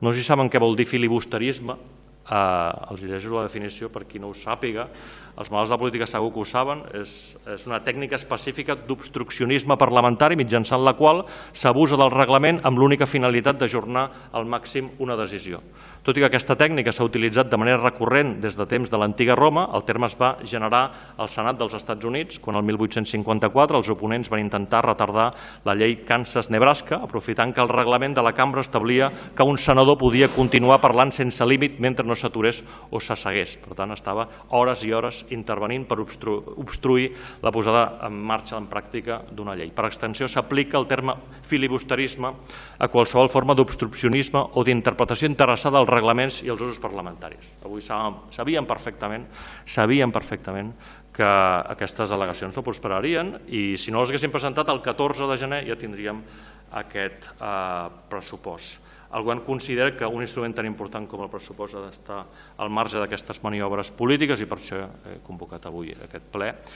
No sé si saben què vol dir filibusterisme. Els llegeixo la definició per qui no ho sàpiga. Els malalts de política segur que ho saben. És una tècnica específica d'obstruccionisme parlamentari mitjançant la qual s'abusa del reglament amb l'única finalitat d'ajornar al màxim una decisió. Tot i que aquesta tècnica s'ha utilitzat de manera recurrent des de temps de l'antiga Roma, el terme es va generar al Senat dels Estats Units quan el 1854 els oponents van intentar retardar la llei Kansas-Nebraska, aprofitant que el reglament de la cambra establia que un senador podia continuar parlant sense límit mentre no s'aturés o s'assegués. Per tant, estava hores i hores intervenint per obstruir la posada en marxa en pràctica d'una llei. Per extensió, s'aplica el terme filibusterisme a qualsevol forma d'obstruccionisme o d'interpretació interessada als reglaments i als usos parlamentaris. Avui sabíem perfectament que aquestes al·legacions no prosperarien i si no les haguéssim presentat el 14 de gener ja tindríem aquest pressupost. El govern considera que un instrument tan important com el pressupost ha d'estar al marge d'aquestes maniobres polítiques i per això he convocat avui aquest ple.